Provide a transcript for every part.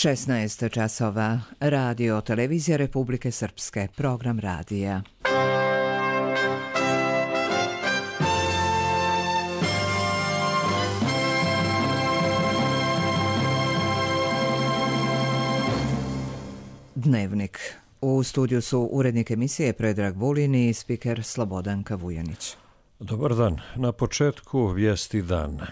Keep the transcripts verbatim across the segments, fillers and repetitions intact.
šesnaest časova. Radio Televizija Republike Srpske. Program radija. Dnevnik. U studiju su urednik emisije Predrag Vulin i spiker Slobodanka Vujanić. Dobar dan. Na početku vijesti dana.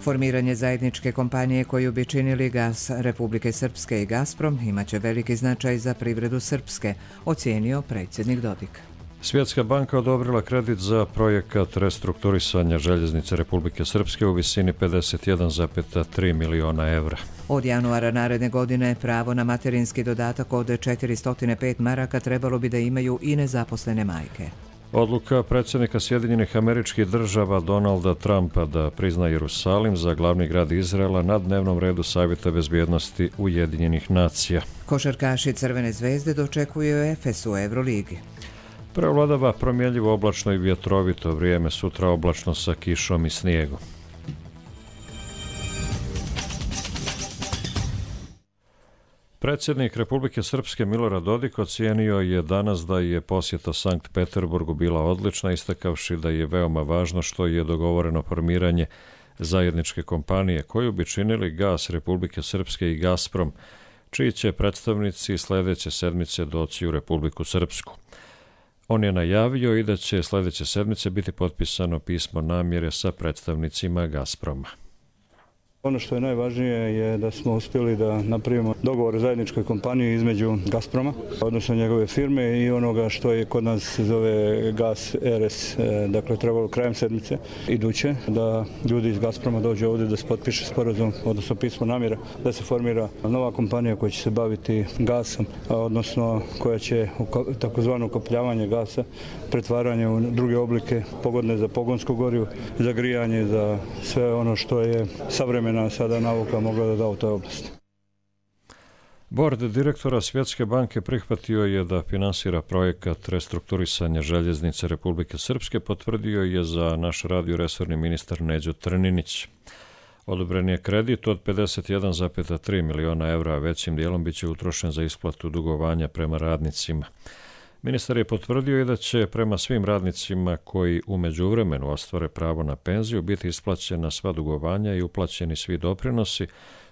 Formiranje zajedničke kompanije koju bi činili Gas Republike Srpske i Gazprom imaće veliki značaj za privredu Srpske, ocijenio predsjednik Dodik. Svjetska banka odobrila kredit za projekat restrukturisanja željeznice Republike Srpske u visini pedeset jedan zarez tri miliona evra. Od januara naredne godine pravo na materinski dodatak od četiristo pet maraka trebalo bi da imaju i nezaposlene majke. Odluka predsjednika Sjedinjenih Američkih Država Donalda Trumpa da prizna Jerusalim za glavni grad Izraela na dnevnom redu Savjeta bezbjednosti Ujedinjenih nacija. Košarkaši Crvene zvezde dočekuju Efes u Euroligi. Prevladava promjenjivo oblačno i vjetrovito vrijeme, sutra oblačno sa kišom i snijegom. Predsjednik Republike Srpske Milorad Dodik ocijenio je danas da je posjeta Sankt Peterburgu bila odlična, istakavši da je veoma važno što je dogovoreno formiranje zajedničke kompanije koju bi činili Gas Republike Srpske i Gazprom, čiji će predstavnici sljedeće sedmice doći u Republiku Srpsku. On je najavio i da će sljedeće sedmice biti potpisano pismo namjere sa predstavnicima Gazproma. Ono što je najvažnije je da smo uspjeli da napravimo dogovor o zajedničkoj kompaniji između Gazproma, odnosno njegove firme i onoga što je kod nas zove Gas R S. Dakle, trebalo krajem sedmice iduće da ljudi iz Gazproma dođu ovdje da se potpiše sporazum, odnosno pismo namjera da se formira nova kompanija koja će se baviti gasom, odnosno koja će takozvano ukapljavanje gasa, pretvaranje u druge oblike pogodne za pogonsko gorivo, za grijanje, za sve ono što je savremeno sada nauka mogla da da u toj oblasti. Bord direktora Svjetske banke prihvatio je da finansira projekat restrukturisanja željeznice Republike Srpske, potvrdio je za naš radio resorni ministar Neđo Trninić. Odobren je kredit od pedeset jedan zarez tri miliona evra, a većim dijelom biće utrošen za isplatu dugovanja prema radnicima. Ministar je potvrdio i da će prema svim radnicima koji u međuvremenu ostvare pravo na penziju biti isplaćena sva dugovanja i uplaćeni svi doprinosi,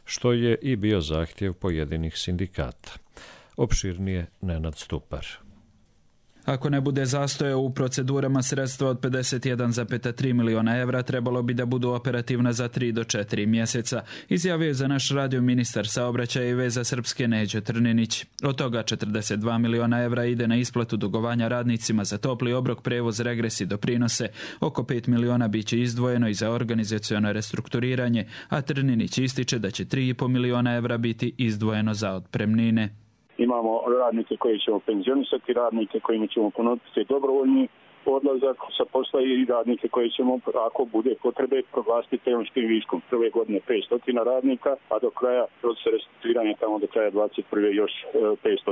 što je i bio zahtjev pojedinih sindikata. Opširnije Nenad Stupar. Ako ne bude zastoja u procedurama, sredstva od pedeset jedan zarez tri miliona evra trebalo bi da budu operativna za tri do četiri mjeseca, izjavio je za naš radio ministar saobraćaja i veza Srpske Neđo Trninić. Od toga četrdeset dva miliona evra ide na isplatu dugovanja radnicima za topli obrok, prevoz, regres i doprinose. Oko pet miliona biće izdvojeno i za organizaciono restrukturiranje, a Trninić ističe da će tri i po miliona evra biti izdvojeno za otpremnine. Imamo radnike koji ćemo penzionisati, radnike kojima ćemo ponuditi dobrovoljni odlazak sa posla i radnike koji ćemo, ako bude potrebe, proglasiti tehničkim viškom. Prve godine petsto radnika, a do kraja procesa restrukturiranja tamo do kraja dvadeset prve još petsto.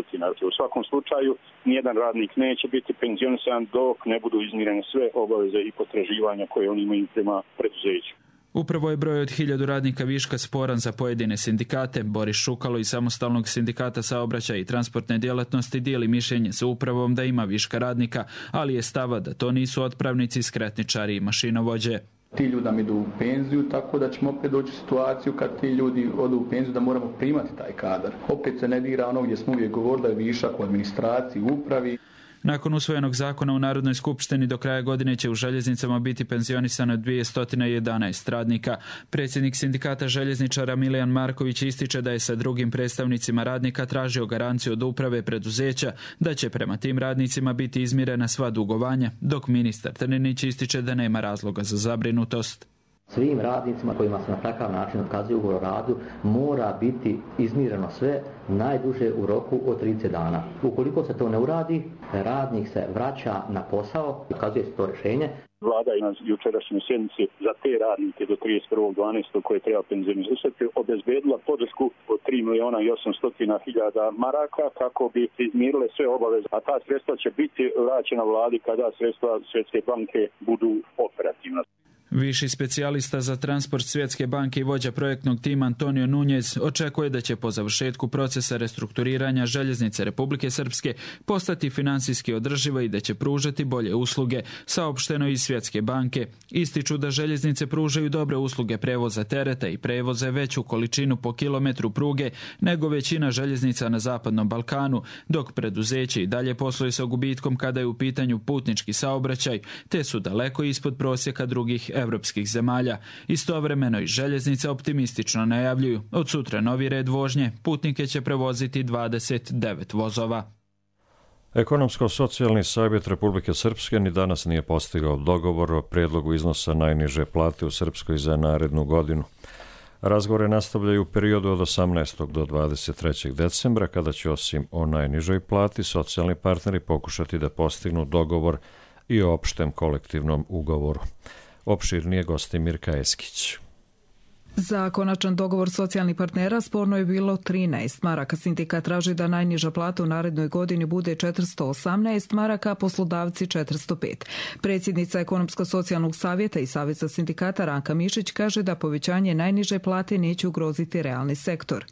U svakom slučaju, nijedan radnik neće biti penzionisan dok ne budu izmirene sve obaveze i potraživanja koje oni imaju prema preduzeću. Upravo je broj od hiljadu radnika viška sporan za pojedine sindikate. Boris Šukalo iz Samostalnog sindikata saobraćaja i transportne djelatnosti dijeli mišljenje sa upravom da ima viška radnika, ali je stava da to nisu otpravnici, skretničari i mašinovođe. Ti ljudi nam idu u penziju, tako da ćemo opet doći u situaciju kad ti ljudi odu u penziju da moramo primati taj kadar. Opet se ne dira ono gdje smo uvijek govorili da je višak u administraciji, u upravi. Nakon usvojenog zakona u Narodnoj skupštini do kraja godine će u željeznicama biti penzionisano dvjesto jedanaest radnika. Predsjednik sindikata željezničara Milijan Marković ističe da je sa drugim predstavnicima radnika tražio garanciju od uprave preduzeća da će prema tim radnicima biti izmirena sva dugovanja, dok ministar Trninić ističe da nema razloga za zabrinutost. Svim radnicima kojima se na takav način otkazuje ugovor o radu mora biti izmireno sve najduže u roku od trideset dana. Ukoliko se to ne uradi, radnik se vraća na posao i otkazuje se to rješenje. Vlada je na jučerašnjoj sjednici za te radnike do trideset prvog dvanaestog koje treba penzionirati obezbedila podršku od tri miliona i osamsto hiljada maraka kako bi izmirile sve obaveze, a ta sredstva će biti vraćena vladi kada sredstva Svjetske banke budu operativna. Viši specijalista za transport Svjetske banke i vođa projektnog tima Antonio Nunez očekuje da će po završetku procesa restrukturiranja željeznice Republike Srpske postati finansijski održiva i da će pružati bolje usluge, saopšteno iz Svjetske banke. Ističu da željeznice pružaju dobre usluge prevoza tereta i prevoze veću količinu po kilometru pruge nego većina željeznica na Zapadnom Balkanu, dok preduzeće i dalje posluje sa gubitkom kada je u pitanju putnički saobraćaj, te su daleko ispod prosjeka drugih evropskih zemalja. Istovremeno i željeznice optimistično najavljuju. Od sutra novi red vožnje, putnike će prevoziti dvadeset devet vozova. Ekonomsko-socijalni savjet Republike Srpske ni danas nije postigao dogovor o prijedlogu iznosa najniže plate u Srpskoj za narednu godinu. Razgovore nastavljaju u periodu od osamnaestog do dvadeset trećeg decembra, kada će osim o najnižoj plati socijalni partneri pokušati da postignu dogovor i o opštem kolektivnom ugovoru. Opširnije gosti Mirka Eskić. Za konačan dogovor socijalnih partnera sporno je bilo trinaest maraka. Sindikat traži da najniža plata u narednoj godini bude četiristo osamnaest maraka, a poslodavci četiristo pet. Predsjednica Ekonomsko-socijalnog savjeta i Saveza sindikata Ranka Mišić kaže da povećanje najniže plate neće ugroziti realni sektor.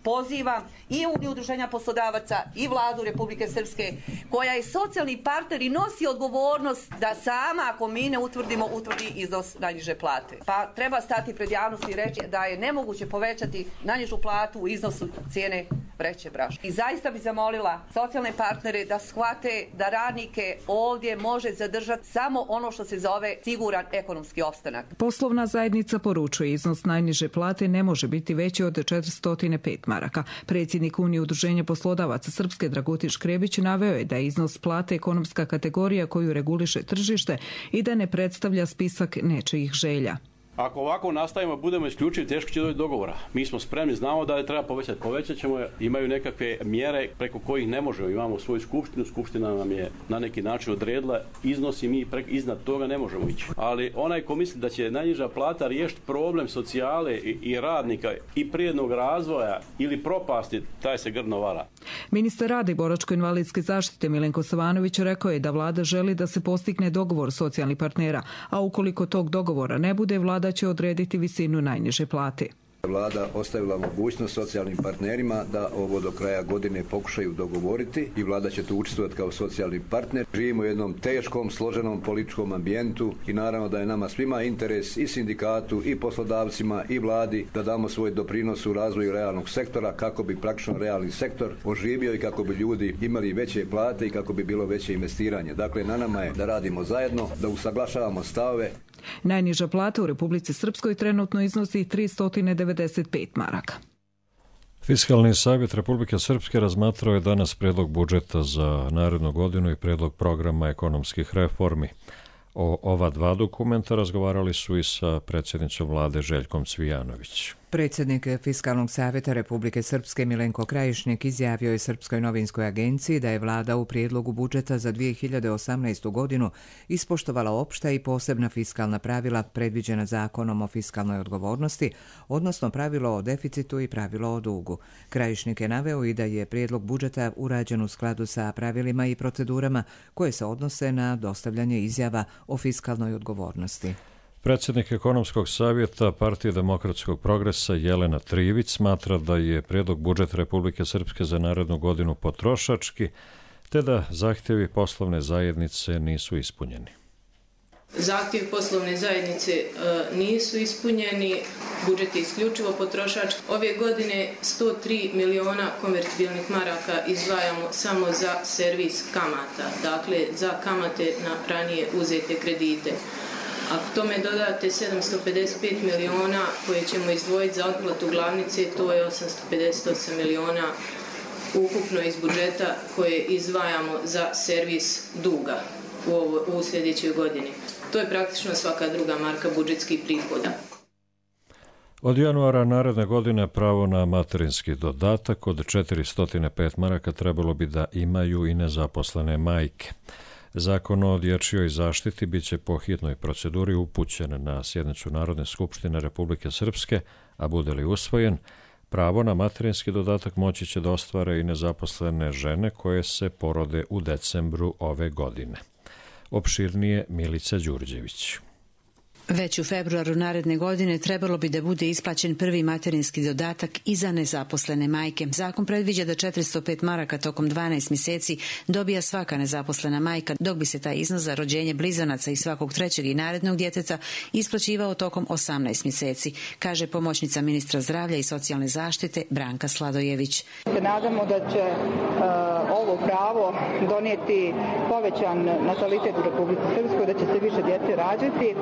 Pozivam i Uniju udruženja poslodavaca i Vladu Republike Srpske, koja je socijalni partner i nosi odgovornost da sama, ako mi ne utvrdimo, utvrdi iznos najniže plate. Pa treba stati pred javnosti i reći da je nemoguće povećati najnižu platu u iznosu cijene vreće brašna. I zaista bi zamolila socijalne partnere da shvate da radnike ovdje može zadržati samo ono što se zove siguran ekonomski opstanak. Poslovna zajednica poručuje iznos najniže plate ne može biti veći od četiristo pet maraka. Predsjednik Unije udruženja poslodavaca Srpske Dragutin Škrebić naveo je da je iznos plate ekonomska kategorija koju reguliše tržište i da ne predstavlja spisak nečijih želja. Ako ovako nastavimo, budemo isključivi, teško će doći do dogovora. Mi smo spremni, znamo da je treba povećati. Povećat ćemo, imaju nekakve mjere preko kojih ne možemo. Imamo svoju skupštinu, skupština nam je na neki način odredila iznos i mi prek, iznad toga ne možemo ići. Ali onaj ko misli da će najniža plata riješiti problem socijale i, i radnika i prirodnog razvoja ili propasti, taj se grdno vara. Ministar rada i boračko-invalidske zaštite Milenko Savanović rekao je da vlada želi da se postigne dogovor socijalnih partnera, a ukoliko tog dogovora ne bude, vlada će odrediti visinu najniže plate. Vlada ostavila mogućnost socijalnim partnerima da ovo do kraja godine pokušaju dogovoriti i vlada će tu učestvovati kao socijalni partner. Živimo u jednom teškom, složenom političkom ambijentu i naravno da je nama svima interes i sindikatu i poslodavcima i vladi da damo svoj doprinos u razvoju realnog sektora kako bi praktično realni sektor oživio i kako bi ljudi imali veće plate i kako bi bilo veće investiranje. Dakle, na nama je da radimo zajedno, da usaglašavamo stavove. Najniža plata u Republici Srpskoj trenutno iznosi tristo devedeset pet maraka. Fiskalni savjet Republike Srpske razmatrao je danas predlog budžeta za narednu godinu i predlog programa ekonomskih reformi. O ova dva dokumenta razgovarali su i sa predsjednicom vlade Željkom Cvijanović. Predsjednik Fiskalnog savjeta Republike Srpske Milenko Krajišnik izjavio je Srpskoj novinskoj agenciji da je vlada u prijedlogu budžeta za dvije hiljade osamnaestu. godinu ispoštovala opšta i posebna fiskalna pravila predviđena zakonom o fiskalnoj odgovornosti, odnosno pravilo o deficitu i pravilo o dugu. Krajišnik je naveo i da je prijedlog budžeta urađen u skladu sa pravilima i procedurama koje se odnose na dostavljanje izjava o fiskalnoj odgovornosti. Predsjednik Ekonomskog savjeta Partije demokratskog progresa Jelena Trivić smatra da je prijedlog budžeta Republike Srpske za narednu godinu potrošački, te da zahtjevi poslovne zajednice nisu ispunjeni. Zahtjevi poslovne zajednice e, nisu ispunjeni, budžet je isključivo potrošački. Ove godine sto tri miliona konvertibilnih maraka izdvajamo samo za servis kamata, dakle za kamate na ranije uzete kredite. Ako tome dodate sedamsto pedeset pet miliona koje ćemo izdvojiti za otplatu glavnice, to je osamsto pedeset osam miliona ukupno iz budžeta koje izdvajamo za servis duga u, ovo, u sljedećoj godini. To je praktično svaka druga marka budžetskih prihoda. Od januara naredne godine pravo na materinski dodatak od četiristo pet maraka trebalo bi da imaju i nezaposlene majke. Zakon o dječjoj zaštiti bit će po hitnoj proceduri upućen na sjednicu Narodne skupštine Republike Srpske, a bude li usvojen, pravo na materinski dodatak moći će da ostvare i nezaposlene žene koje se porode u decembru ove godine. Opširnije Milica Đurđević. Već u februaru naredne godine trebalo bi da bude isplaćen prvi materinski dodatak i za nezaposlene majke. Zakon predviđa da četiristo pet maraka tokom dvanaest mjeseci dobija svaka nezaposlena majka, dok bi se taj iznos za rođenje blizanaca i svakog trećeg i narednog djeteta isplaćivao tokom osamnaest mjeseci, kaže pomoćnica ministra zdravlja i socijalne zaštite Branka Sladojević. Se nadamo da će uh, ovo pravo donijeti povećan natalitet u Republici Srpskoj, da će se više djece rađati.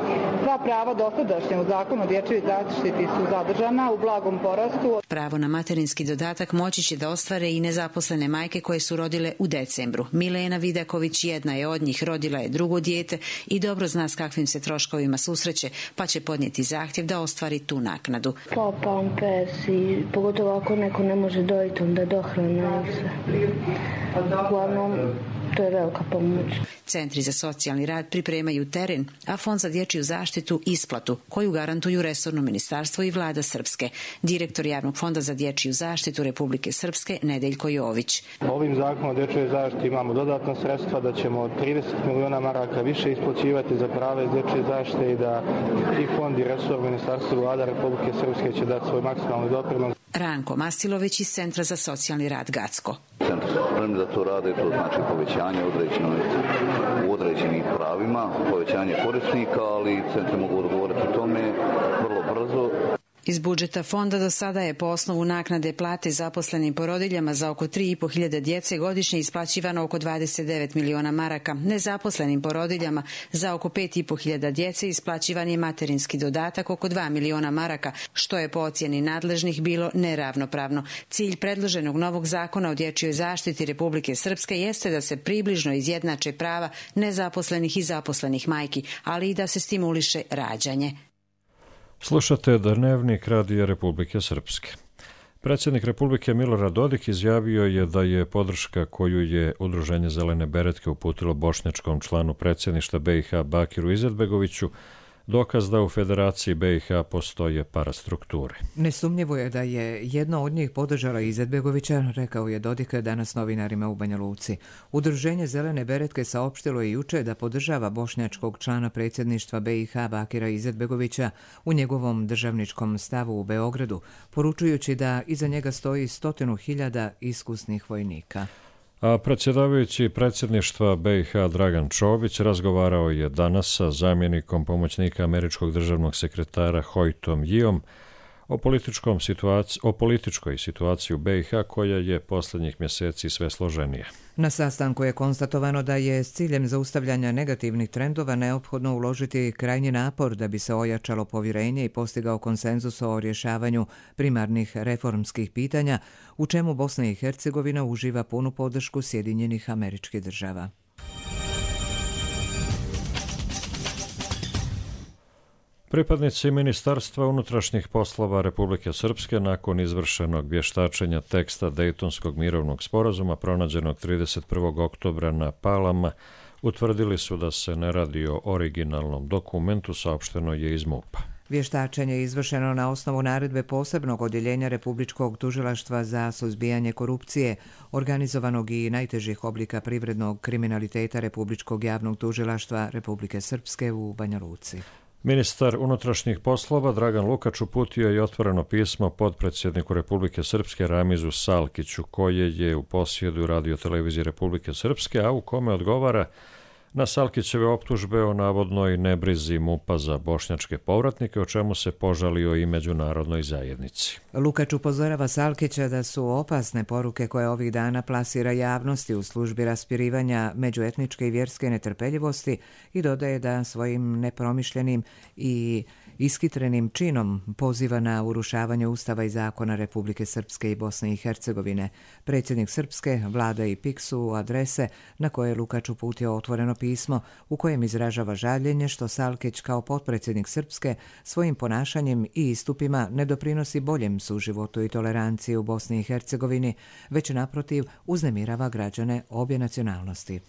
Sva prava dosadašnja u zakonu o dječjoj zaštiti su zadržana u blagom porastu. Pravo na materinski dodatak moći će da ostvare i nezaposlene majke koje su rodile u decembru. Milena Vidaković jedna je od njih, rodila je drugo dijete i dobro zna s kakvim se troškovima susreće, pa će podnijeti zahtjev da ostvari tu naknadu. Pa pampers i pogotovo ako neko ne može dojiti, onda dohrana i sve. Uglavnom, to je velika pomoć. Centri za socijalni rad pripremaju teren, a Fond za dječju zaštitu isplatu, koju garantuju resorno ministarstvo i vlada Srpske. Direktor Javnog fonda za dječju zaštitu Republike Srpske Nedeljko Jović. Ovim zakonom o dječjoj zaštiti imamo dodatna sredstva da ćemo trideset miliona maraka više isplaćivati za prave iz dječje zaštite i da i fond i resor ministarstva i vlada Republike Srpske će dati svoj maksimalni doprinos. Ranko Mastilović iz Centra za socijalni rad Gacko. Centri su spremni da to rade, to znači povećanje u određenih pravima, povećanje korisnika, ali centri mogu odgovoriti tome vrlo brzo. Iz budžeta fonda do sada je po osnovu naknade plate zaposlenim porodiljama za oko tri i po hiljade djece godišnje isplaćivano oko dvadeset devet miliona maraka. Nezaposlenim porodiljama za oko pet i po hiljada djece isplaćivan je materinski dodatak oko dva miliona maraka, što je po ocjeni nadležnih bilo neravnopravno. Cilj predloženog novog zakona o dječjoj zaštiti Republike Srpske jeste da se približno izjednače prava nezaposlenih i zaposlenih majki, ali i da se stimuliše rađanje. Slušate Dnevnik Radija Republike Srpske. Predsjednik Republike Milorad Dodik izjavio je da je podrška koju je Udruženje Zelene beretke uputilo bošnjačkom članu predsjedništva B i H Bakiru Izetbegoviću dokaz da u Federaciji B i H postoje parastrukture. Nesumnjivo je da je jedna od njih podržala Izetbegovića, rekao je Dodik danas novinarima u Banja Luci. Udruženje Zelene beretke saopštilo je juče da podržava bošnjačkog člana predsjedništva B i H Bakira Izetbegovića u njegovom državničkom stavu u Beogradu, poručujući da iza njega stoji stotinu hiljada iskusnih vojnika. A predsjedavajući predsjedništva B i H Dragan Čović razgovarao je danas sa zamjenikom pomoćnika američkog državnog sekretara Hojtom Jijom o, političkom situaci, o političkoj situaciji u B i H koja je posljednjih mjeseci sve složenija. Na sastanku je konstatovano da je s ciljem zaustavljanja negativnih trendova neophodno uložiti krajnji napor da bi se ojačalo povjerenje i postigao konsenzus o rješavanju primarnih reformskih pitanja, u čemu Bosna i Hercegovina uživa punu podršku Sjedinjenih Američkih Država. Pripadnici Ministarstva unutrašnjih poslova Republike Srpske nakon izvršenog vještačenja teksta Dejtonskog mirovnog sporazuma pronađenog trideset prvog oktobra na Palama utvrdili su da se ne radi o originalnom dokumentu, saopšteno je iz MUP-a. Vještačenje je izvršeno na osnovu naredbe posebnog odjeljenja Republičkog tužilaštva za suzbijanje korupcije, organizovanog i najtežih oblika privrednog kriminaliteta Republičkog javnog tužilaštva Republike Srpske u Banja Luci. Ministar unutrašnjih poslova Dragan Lukač uputio je otvoreno pismo potpredsjedniku Republike Srpske Ramizu Salkiću, koje je u posjedu Radio-televizije Republike Srpske, a u kome odgovara na Salkićeve optužbe o navodnoj nebrizi MUP-a za bošnjačke povratnike, o čemu se požalio i međunarodnoj zajednici. Lukač upozorava Salkića da su opasne poruke koje ovih dana plasira javnosti u službi raspirivanja međuetničke i vjerske netrpeljivosti i dodaje da svojim nepromišljenim i iskitrenim činom poziva na urušavanje Ustava i zakona Republike Srpske i Bosne i Hercegovine. Predsjednik Srpske, vlada i P I K su adrese na koje je Lukač uputio otvoreno pismo u kojem izražava žaljenje što Salkić kao potpredsjednik Srpske svojim ponašanjem i istupima ne doprinosi boljem suživotu i toleranciji u Bosni i Hercegovini, već naprotiv uznemirava građane obje nacionalnosti.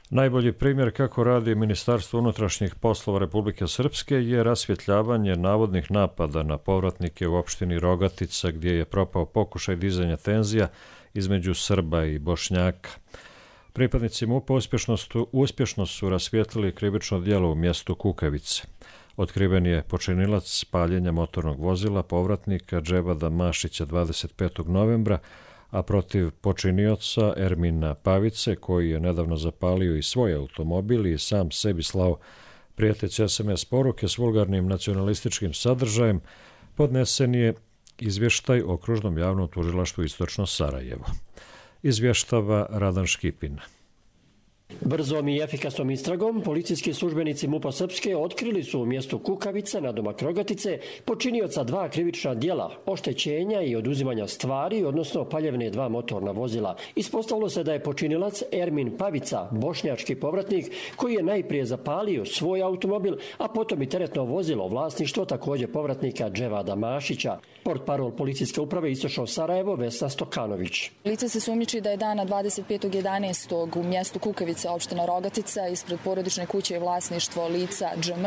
Najbolji primjer kako radi Ministarstvo unutrašnjih poslova Republike Srpske je rasvjetljavanje navodnih napada na povratnike u opštini Rogatica, gdje je propao pokušaj dizanja tenzija između Srba i Bošnjaka. Pripadnici MUP-a uspješno su, uspješno su rasvijetlili krivično djelo u mjestu Kukavice. Otkriven je počinilac paljenja motornog vozila povratnika Dževada Mašića dvadeset petog novembra, a protiv počinioca Ermina Pavice, koji je nedavno zapalio i svoj automobil i sam sebi slao prijeteće es em es poruke s vulgarnim nacionalističkim sadržajem, podnesen je izvještaj o Okružnom javnom tužilaštvu Istočno Sarajevo. Izvještava Radan Škipin. Brzom i efikasnom istragom policijski službenici MUP-a Srpske otkrili su u mjestu Kukavica na domak Rogatice počinioca dva krivična djela, oštećenja i oduzimanja stvari, odnosno paljevne dva motorna vozila. Ispostavilo se da je počinilac Ermin Pavica, bošnjački povratnik, koji je najprije zapalio svoj automobil, a potom i teretno vozilo vlasništvo također povratnika Dževada Mašića. Portparol policijske uprave Istočno Sarajevo Vesna Stokanović. Lice se sumnjiči da je dana dvadeset petog jedanaestog u mjestu Kukavica, opština Rogatica, ispred porodične kuće i vlasništvo lica dž em,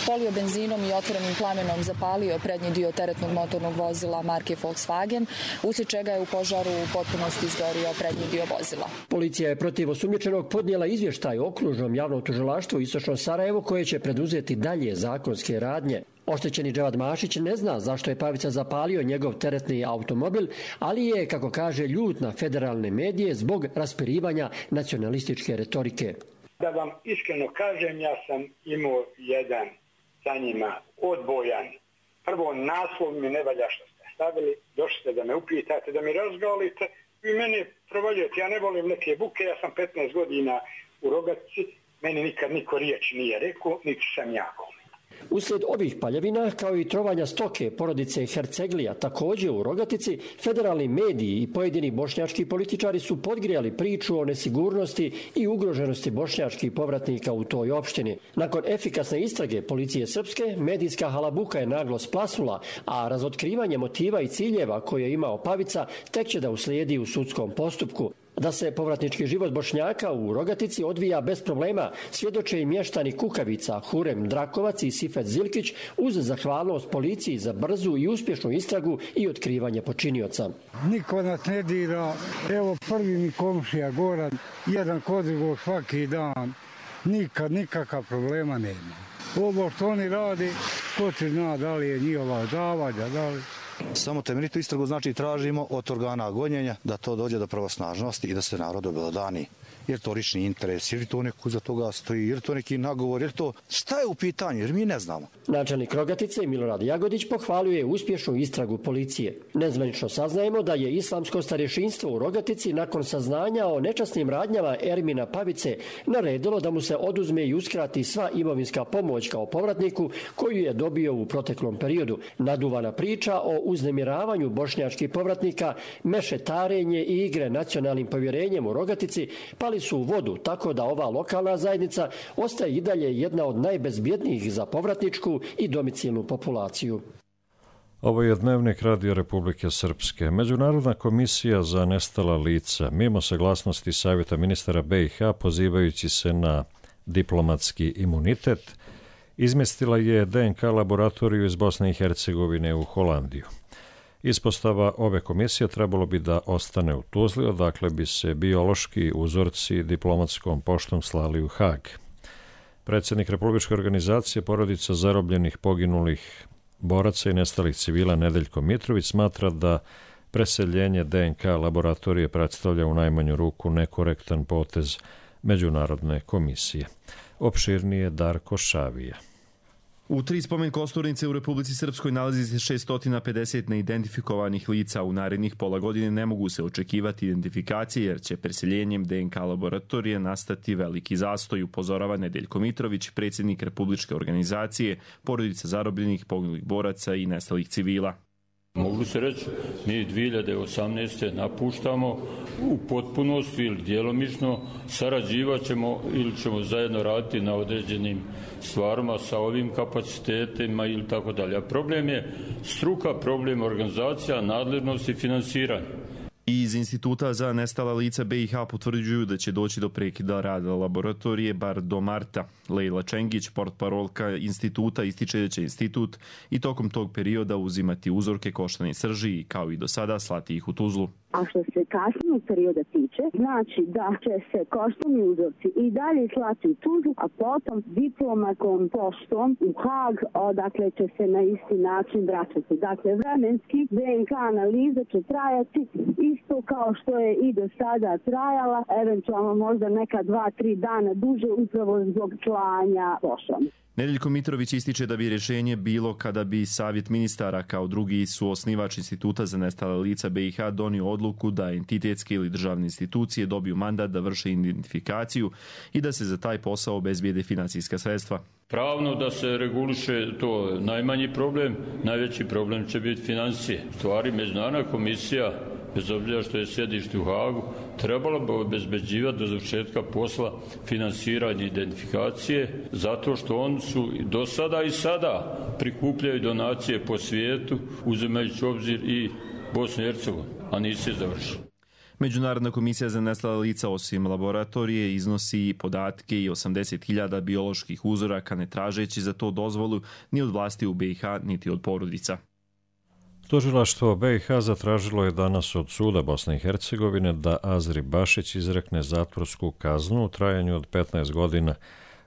polio benzinom i otvorenim plamenom zapalio prednji dio teretnog motornog vozila marke Volkswagen, uslijed čega je u požaru u potpunosti izgorio prednji dio vozila. Policija je protiv osumnjičenog podnijela izvještaj o Okružnom javnom tužilaštvu Istočno Sarajevo, koje će preduzeti dalje zakonske radnje. Oštećeni Dževad Mašić ne zna zašto je Pavica zapalio njegov teretni automobil, ali je, kako kaže, ljut na federalne medije zbog raspirivanja nacionalističke retorike. Da vam iskreno kažem, ja sam imao jedan sa njima odbojan. Prvo, naslov mi ne valja što ste stavili, došli ste da me upitate, da mi razgalite i meni provaljujete. Ja ne volim neke buke, ja sam petnaest godina u Rogatici, meni nikad niko riječ nije rekao, niti sam jako. Uslijed ovih paljevina, kao i trovanja stoke porodice Herceglija, također u Rogatici, federalni mediji i pojedini bošnjački političari su podgrijali priču o nesigurnosti i ugroženosti bošnjačkih povratnika u toj opštini. Nakon efikasne istrage policije srpske, medijska halabuka je naglo splasnula, a razotkrivanje motiva i ciljeva koje je imao Pavica tek će da uslijedi u sudskom postupku. Da se povratnički život Bošnjaka u Rogatici odvija bez problema, svjedoče i mještani Kukavica, Hurem Drakovac i Sifet Zilkić, uz zahvalnost policiji za brzu i uspješnu istragu i otkrivanje počinioca. Niko nas ne dira, evo prvi mi komšija Goran, jedan kod drugog svaki dan, nikad nikakav problema nema. Ovo što oni radi, ko će zna da li je njihova zavađa, da li... Samo temeljitu istragu, znači tražimo od organa gonjenja da to dođe do pravosnažnosti i da se narod obelodani. Jer to lični interes, jer to neko za toga stoji, jer to neki nagovor, jer to šta je u pitanju, jer mi ne znamo. Načelnik Rogatice Milorad Jagodić pohvaljuje uspješnu istragu policije. Nezvanično saznajemo da je islamsko starješinstvo u Rogatici nakon saznanja o nečasnim radnjama Ermina Pavice naredilo da mu se oduzme i uskrati sva imovinska pomoć kao povratniku koju je dobio u proteklom periodu. Naduvana priča o uznemiravanju bošnjačkih povratnika, mešetarenje i igre nacionalnim povjerenjem u Rogatici pali su u vodu, tako da ova lokalna zajednica ostaje i dalje jedna od najbezbjednijih za povratničku i domicilnu populaciju. Ovo je Dnevnik Radio Republike Srpske. Međunarodna komisija za nestala lica, mimo saglasnosti Savjeta ministara be i ha, pozivajući se na diplomatski imunitet, izmjestila je de en ka laboratoriju iz Bosne i Hercegovine u Holandiju. Ispostava ove komisije trebalo bi da ostane u Tuzli, odakle bi se biološki uzorci diplomatskom poštom slali u Hag. Predsjednik Republičke organizacije porodica zarobljenih, poginulih boraca i nestalih civila Nedeljko Mitrović smatra da preseljenje de en ka laboratorije predstavlja u najmanju ruku nekorektan potez Međunarodne komisije. Opširnije Darko Šavija. U tri spomen kosturnice u Republici Srpskoj nalazi se šessto pedeset neidentifikovanih lica. U narednih pola godine ne mogu se očekivati identifikacije jer će preseljenjem de en ka laboratorije nastati veliki zastoj, upozorava Nedeljko Mitrović, predsjednik Republičke organizacije porodica zarobljenih, poginulih boraca i nestalih civila. Mogu se reći, mi dvije hiljade osamnaeste. napuštamo u potpunosti ili djelomično, sarađivat ćemo ili ćemo zajedno raditi na određenim stvarima sa ovim kapacitetima ili tako dalje. Problem je struka, problem organizacija, nadležnost i finansiranje. I iz Instituta za nestala lica be i ha potvrđuju da će doći do prekida rada laboratorije bar do marta. Lejla Čengić, portparolka instituta, ističe da će institut i tokom tog perioda uzimati uzorke koštane srži i kao i do sada slati ih u Tuzlu. A što se kasnijeg perioda tiče, znači da će se koštani uzorci i dalje slati u Tuzlu, a potom diplomatskom poštom u Hag, odakle će se na isti način vraćati. Dakle, vremenski D N K analiza će trajati isto kao što je i do sada trajala, eventualno možda neka dva, tri dana duže upravo zbog slanja poštom. Nedeljko Mitrović ističe da bi rješenje bilo kada bi Savjet ministara kao drugi suosnivač Instituta za nestale lica B i H donio odluku da entitetske ili državne institucije dobiju mandat da vrše identifikaciju i da se za taj posao obezbijede financijska sredstva. Pravno da se reguliše to najmanji problem, najveći problem će biti financije. U stvari, Međunarodna komisija, bez obzira što je sjedište u Hagu, trebala bi obezbeđivati do završetka posla finansiranje identifikacije, zato što oni su do sada i sada prikupljaju donacije po svijetu, uzimajući obzir i Bosnu i Hercegovinu, a nisu je završili. Međunarodna komisija za nestala lica osim laboratorije iznosi podatke i osamdeset hiljada bioloških uzoraka, ne tražeći za to dozvolu ni od vlasti u B i H niti od porodica. Tužilaštvo B i H zatražilo je danas od suda Bosne i Hercegovine da Azri Bašić izrekne zatvorsku kaznu u trajanju od petnaest godina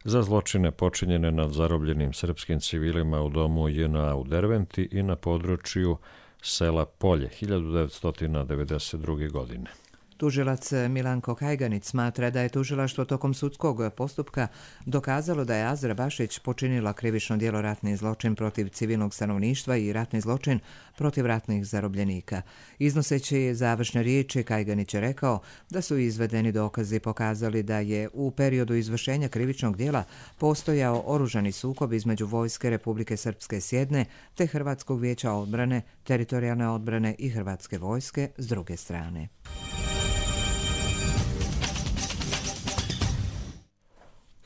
za zločine počinjene nad zarobljenim srpskim civilima u domu J N A u Derventi i na području sela Polje hiljadu devetsto devedeset druge. godine. Tužilac Milanko Kajganić smatra da je tužilaštvo tokom sudskog postupka dokazalo da je Azra Bašić počinila krivično djelo ratni zločin protiv civilnog stanovništva i ratni zločin protiv ratnih zarobljenika. Iznoseći završne riječi, Kajganić je rekao da su izvedeni dokazi pokazali da je u periodu izvršenja krivičnog djela postojao oružani sukob između Vojske Republike Srpske s jedne te Hrvatskog vijeća odbrane, teritorijalne odbrane i Hrvatske vojske s druge strane.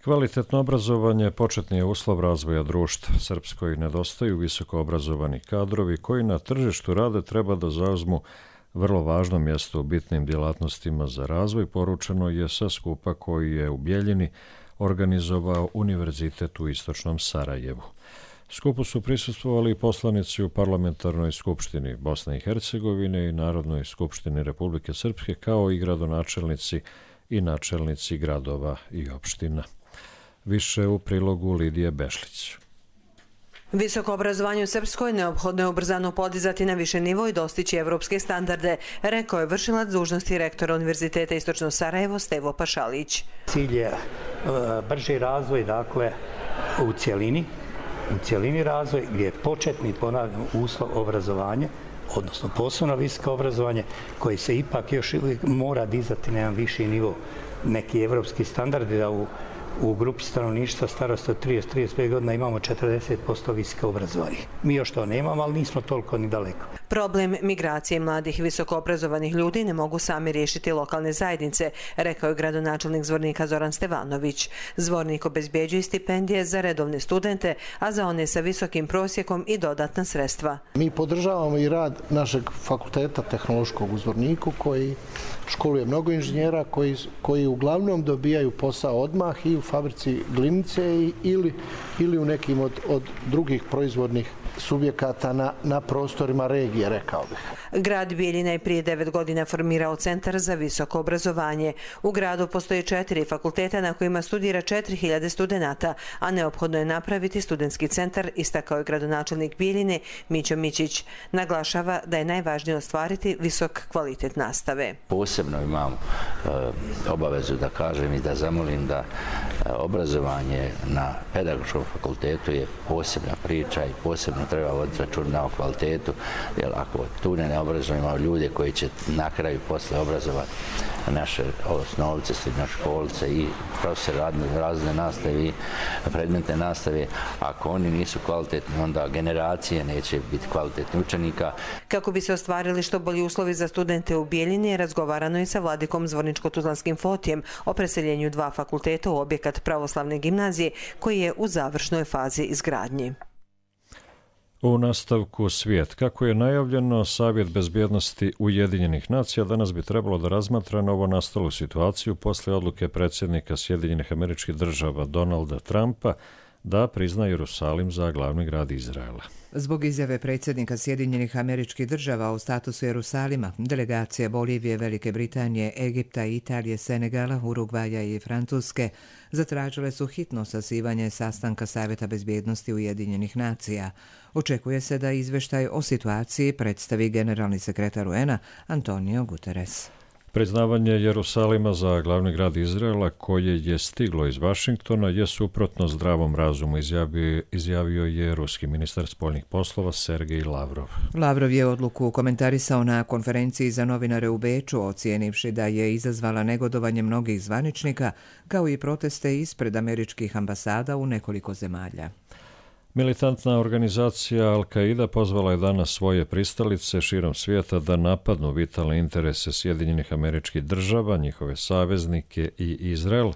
Kvalitetno obrazovanje početni je uslov razvoja društva. Srpskoj nedostaju visoko obrazovani kadrovi koji na tržištu rade treba da zauzmu vrlo važno mjesto u bitnim djelatnostima za razvoj, poručeno je sa skupa koji je u Bjeljini organizovao Univerzitet u Istočnom Sarajevu. Skupu su prisustvovali poslanici u Parlamentarnoj skupštini Bosne i Hercegovine i Narodnoj skupštini Republike Srpske, kao i gradonačelnici i načelnici gradova i opština. Više u prilogu Lidije Bešlić. Visoko obrazovanje u Srpskoj neophodno je ubrzano podizati na više nivo i dostići evropske standarde, rekao je vršilac dužnosti rektora Univerziteta Istočno Sarajevo Stevo Pašalić. Cilj je brži razvoj, dakle, u cjelini, u cjelini razvoj gdje je početni, ponavljam, uslov obrazovanje, odnosno posebno visoko obrazovanje, koji se ipak još mora dizati na jedan viši nivo. Neki evropski standardi da u U grupi stanovništva starosti od trideset do trideset pet godina imamo četrdeset posto visoko obrazovanih. Mi još to nemamo, ali nismo toliko ni daleko. Problem migracije mladih visoko obrazovanih ljudi ne mogu sami riješiti lokalne zajednice, rekao je gradonačelnik Zvornika Zoran Stevanović. Zvornik obezbjeđuje stipendije za redovne studente, a za one sa visokim prosjekom i dodatna sredstva. Mi podržavamo i rad našeg fakulteta tehnološkog u Zvorniku koji školuje mnogo inženjera koji, koji uglavnom dobijaju posao odmah i u fabrici glinice ili, ili u nekim od, od drugih proizvodnih subjekata na, na prostorima regije, rekao bih. Grad Bijeljina je prije devet godina formirao Centar za visoko obrazovanje. U gradu postoje četiri fakulteta na kojima studira četiri hiljade studenata, a neophodno je napraviti studentski centar, istakao je gradonačelnik Bijeljine Mićo Mićić. Naglašava da je najvažnije ostvariti visok kvalitet nastave. Posebno imam e, obavezu da kažem i da zamolim da e, obrazovanje na pedagoškom fakultetu je posebna priča i posebno treba voditi računa o kvalitetu, jer ako tu ne obrazujemo ljude koji će na kraju posle obrazovati naše osnovce, srednjoškolce i profesore razne nastave i predmetne nastave, ako oni nisu kvalitetni, onda generacije neće biti kvalitetni učenika. Kako bi se ostvarili što bolji uslovi za studente u Bijeljini, razgovarano je sa vladikom Zvorničko-Tuzlanskim Fotijem o preseljenju dva fakulteta u objekat pravoslavne gimnazije koji je u završnoj fazi izgradnje. U nastavku svijet. Kako je najavljeno, Savjet bezbjednosti Ujedinjenih nacija danas bi trebalo da razmatra novo nastalu situaciju posle odluke predsjednika Sjedinjenih Američkih Država Donalda Trumpa da prizna Jerusalim za glavni grad Izraela. Zbog izjave predsjednika Sjedinjenih Američkih Država o statusu Jerusalima, delegacija Bolivije, Velike Britanije, Egipta, Italije, Senegala, Urugvaja i Francuske zatražile su hitno sazivanje sastanka Savjeta bezbjednosti Ujedinjenih nacija. Očekuje se da izvještaj o situaciji predstavi generalni sekretar U N A Antonio Guterres. Priznavanje Jerusalima za glavni grad Izraela koje je stiglo iz Vašingtona je suprotno zdravom razumu, izjavio, izjavio je ruski ministar spoljnih poslova Sergej Lavrov. Lavrov je odluku komentarisao na konferenciji za novinare u Beču, ocijenivši da je izazvala negodovanje mnogih zvaničnika, kao i proteste ispred američkih ambasada u nekoliko zemalja. Militantna organizacija Al-Qaida pozvala je danas svoje pristalice širom svijeta da napadnu vitalne interese Sjedinjenih Američkih Država, njihove saveznike i Izrael,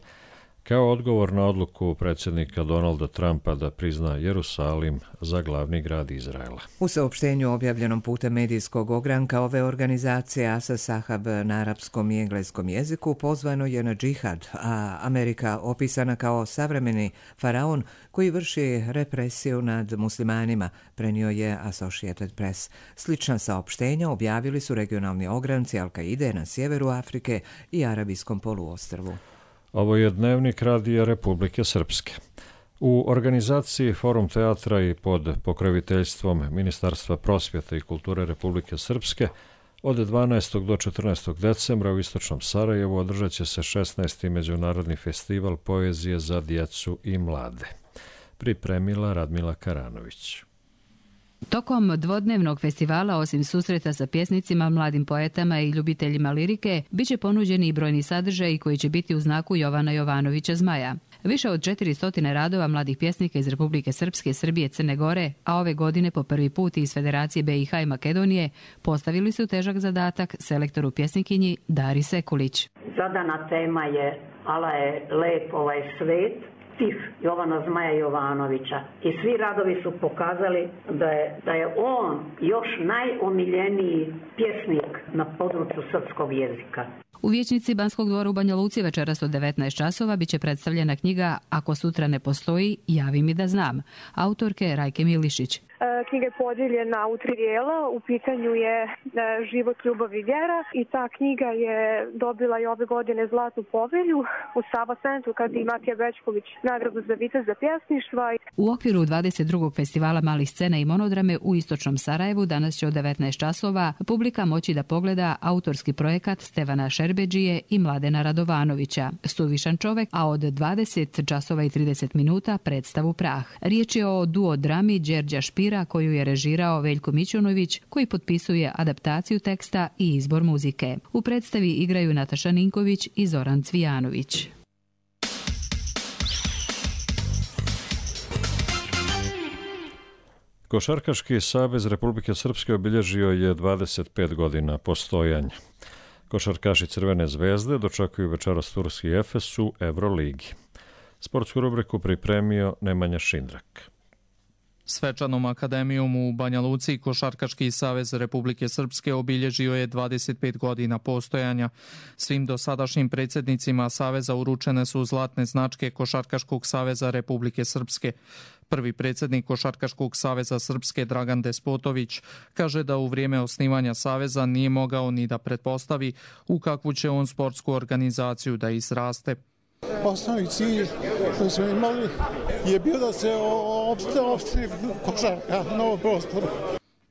kao odgovor na odluku predsjednika Donalda Trumpa da prizna Jerusalim za glavni grad Izraela. U saopštenju objavljenom putem medijskog ogranka ove organizacije Asa Sahab na arapskom i engleskom jeziku pozvano je na džihad, a Amerika opisana kao savremeni faraon koji vrši represiju nad muslimanima, prenio je Associated Press. Slična saopštenja objavili su regionalni ogranci Al-Qaide na sjeveru Afrike i Arabijskom poluostrvu. Ovo je dnevnik Radija Republike Srpske. U organizaciji Forum teatra i pod pokroviteljstvom Ministarstva prosvjete i kulture Republike Srpske od dvanaestog do četrnaestog decembra u istočnom Sarajevu održat će se šesnaesti Međunarodni festival poezije za djecu i mlade. Pripremila Radmila Karanović. Tokom dvodnevnog festivala, osim susreta sa pjesnicima, mladim poetama i ljubiteljima lirike, bit će ponuđeni i brojni sadržaji koji će biti u znaku Jovana Jovanovića Zmaja. Više od četiristo radova mladih pjesnika iz Republike Srpske, Srbije, Crne Gore, a ove godine po prvi put iz Federacije B i H i Makedonije, postavili su težak zadatak selektoru pjesnikinji Dari Sekulić. Zadana tema je Ala je lep ovaj svet, Stif Jovana Zmaja Jovanovića. I svi radovi su pokazali da je, da je on još najomiljeniji pjesnik na području srpskog jezika. U vijećnici Banskog dvora u Banja Luci večeras od devetnaest časova biće predstavljena knjiga Ako sutra ne postoji, javi mi da znam, autorke Rajke Milišić. Knjiga je podijeljena u tri dijela, u pitanju je Život, ljubav i vjera i ta knjiga je dobila i ove godine Zlatnu povelju u Sava centru kad i Matija Bećković nagradu za viteza pjesništva. U okviru dvadeset drugog festivala malih scena i monodrame u istočnom Sarajevu danas će od devetnaest časova publika moći da pogleda autorski projekat Stevana Šerbeđije i Mladena Radovanovića, Suvišan čovek, a od dvadeset časova i trideset minuta predstavu Prah. Riječ je o duo drami Đerđa Špira koju je režirao Veljko Mićunović, koji potpisuje adaptaciju teksta i izbor muzike. U predstavi igraju Nataša Ninković i Zoran Cvijanović. Košarkaški savez Republike Srpske obilježio je dvadeset pet godina postojanja. Košarkaši Crvene zvezde dočekuju večeras turski Efes u Euroligi. Sportsku rubriku pripremio Nemanja Šindrak. Svečanom akademijom u Banja Luci Košarkaški savez Republike Srpske obilježio je dvadeset pet godina postojanja. Svim dosadašnjim predsjednicima saveza uručene su zlatne značke Košarkaškog saveza Republike Srpske. Prvi predsjednik Košarkaškog saveza Srpske Dragan Despotović kaže da u vrijeme osnivanja saveza nije mogao ni da pretpostavi u kakvu će on sportsku organizaciju da izraste. Osnovni cilj koji smo imali je bio da se opstavi košarka na ovom prostoru.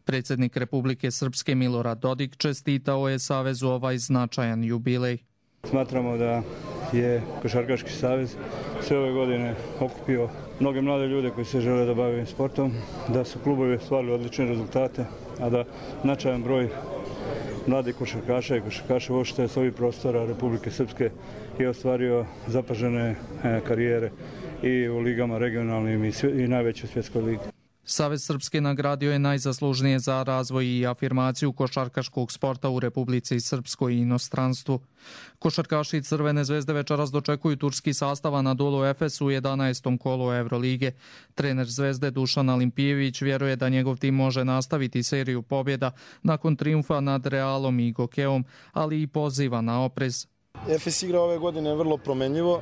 Predsjednik Republike Srpske Milorad Dodik čestitao je savezu ovaj značajan jubilej. Smatramo da je Košarkaški savez sve ove godine okupio mnoge mlade ljude koji se žele da bave sportom, da su klubovi stvarili odlične rezultate, a da značajan broj mladih košarkaša i košarkaša uopšte s ovih prostora Republike Srpske je ostvario zapažene karijere i u ligama regionalnim i, i najvećoj svjetskoj ligi. Savez Srpske nagradio je najzaslužnije za razvoj i afirmaciju košarkaškog sporta u Republici Srpskoj i inostranstvu. Košarkaši Crvene zvezde večeras dočekuju turski sastav Anadolu Efes u jedanaestom kolu Eurolige. Trener Zvezde Dušan Alimpijević vjeruje da njegov tim može nastaviti seriju pobjeda nakon trijumfa nad Realom i Gokeom, ali i poziva na oprez. Efes igra ove godine vrlo promenljivo.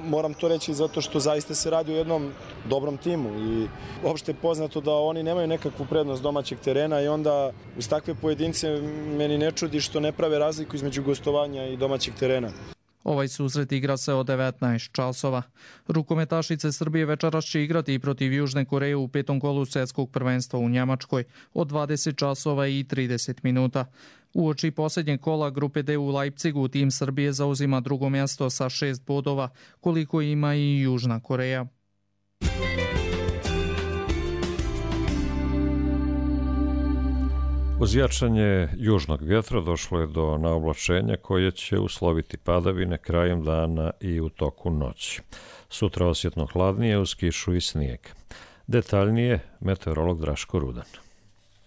Moram to reći zato što zaista se radi o jednom dobrom timu i uopšte je poznato da oni nemaju nekakvu prednost domaćeg terena i onda uz takve pojedince meni ne čudi što ne prave razliku između gostovanja i domaćeg terena. Ovaj susret igra se od devetnaest časova. Rukometašice Srbije večeras će igrati i protiv Južne Koreje u petom kolu svjetskog prvenstva u Njemačkoj od dvadeset časova i trideset minuta. Uoči posljednjeg kola grupe D u Leipzigu tim Srbije zauzima drugo mjesto sa šest bodova, koliko ima i Južna Koreja. Uz jačanje južnog vjetra došlo je do naoblačenja koje će usloviti padavine krajem dana i u toku noći. Sutra osjetno hladnije uz kišu i snijeg. Detaljnije meteorolog Draško Rudan.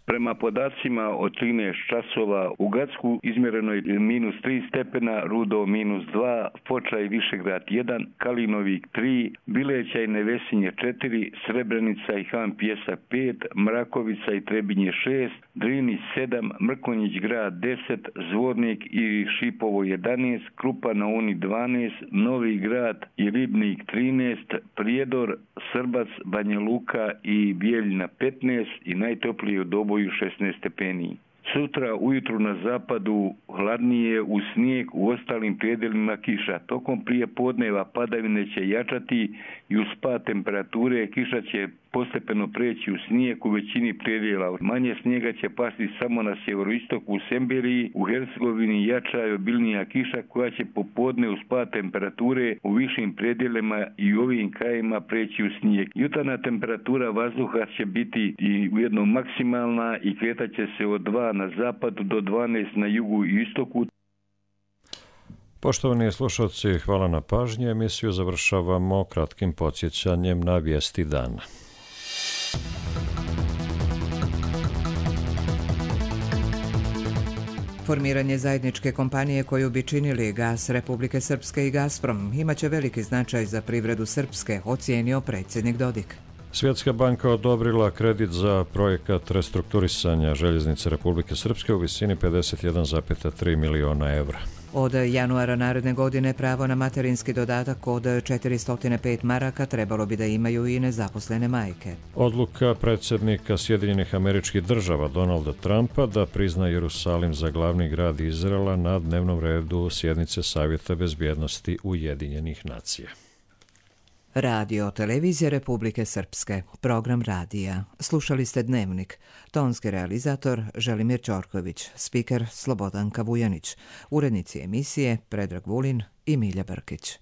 Prema podacima od trinaest časova u Gacku izmjereno je minus tri stepena, Rudo minus dva, Foča i Višegrad jedan, Kalinovik tri, Bileća i Nevesinje četiri, Srebrenica i Han Pjesak pet, Mrakovica i Trebinje šest, Drinić sedam, Mrkonjić grad deset, Zvornik i Šipovo jedanaest, Krupa na Uni dvanaest, Novi grad i Ribnik trinaest, Prijedor, Srbac, Banja Luka i Bijeljina petnaest i najtoplije u Doboju šesnaest stepeni. Sutra ujutru na zapadu hladnije uz snijeg, u ostalim predjelima kiša. Tokom prije podneva padavine će jačati i uz pad temperature kiša će postepeno preći u snijeg u većini predjela. Manje snijega će pasti samo na sjeveroistoku u Semberiji, u Hercegovini jača i obilnija kiša koja će popodne uz pad temperature u višim predjelima i u ovim krajima preći u snijeg. Jutarnja temperatura vazduha će biti i ujedno maksimalna i kretat će se od dva na zapadu do dvanaest na jugu i istoku. Poštovani slušalci, hvala na pažnji. Emisiju završavamo kratkim podsjećanjem na vijesti dana. Formiranje zajedničke kompanije koju bi činili Gas Republike Srpske i Gazprom imaće veliki značaj za privredu Srpske, ocijenio predsjednik Dodik. Svjetska banka odobrila kredit za projekat restrukturisanja Željeznice Republike Srpske u visini pedeset jedan zarez tri miliona evra. Od januara naredne godine pravo na materinski dodatak od četiristo pet maraka trebalo bi da imaju i nezaposlene majke. Odluka predsjednika Sjedinjenih Američkih Država Donalda Trumpa da prizna Jerusalim za glavni grad Izraela na dnevnom redu sjednice Savjeta bezbjednosti Ujedinjenih nacija. Radio Televizija Republike Srpske, program radija. Slušali ste Dnevnik. Tonski realizator Želimir Ćorković, spiker Slobodanka Vujanić, urednici emisije Predrag Vulin i Milja Brkić.